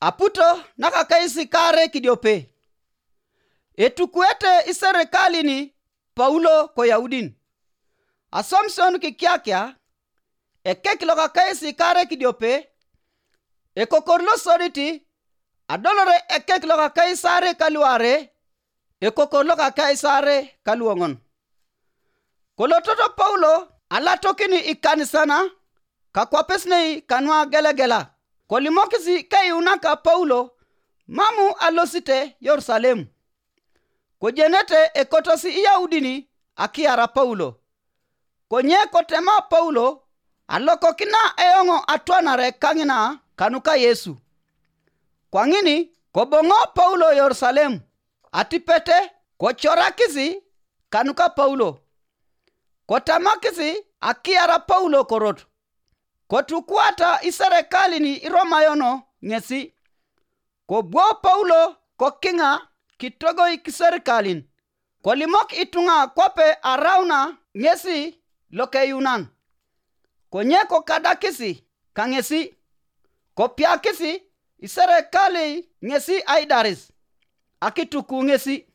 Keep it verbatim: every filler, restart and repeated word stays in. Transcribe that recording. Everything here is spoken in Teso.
Aputo nakakais kaare kidiope. Etukuete iserikalin Paulo ko Yaudin. Aswamision kikiakia, ekek lokakais kaare kidiope, ekokor losodit, adolore ekek lokakais aare kaluarei, ekokor lokakais aare kaluoŋon. Kolototo Paulo alatokin ikanisana kakwapes nei kanuagelegela, kolimokis keyuunak Paulo mam alosite Yerusalem. Kojenete ekotos Iyaudin akiara Paulo. Konye kotema Paulo, alokokina eoŋ atwanare kaŋina kanuka Yesu. Kwaŋin koboŋo Paulo Yerusalem, atipete kocorakis kanuka Paulo. Kotamakis akiara Paulo korot. Kotukuata iserikalin Iromayon ŋesi. Kobwo Paulo kokiŋa kitogoi kiserikalin, kolimok ituŋa kwape arauna ŋesi lokeyuunan. Konye kokadakis kaŋesi, kopiakis iserikalei ŋesi aidaris, akituku ŋesi.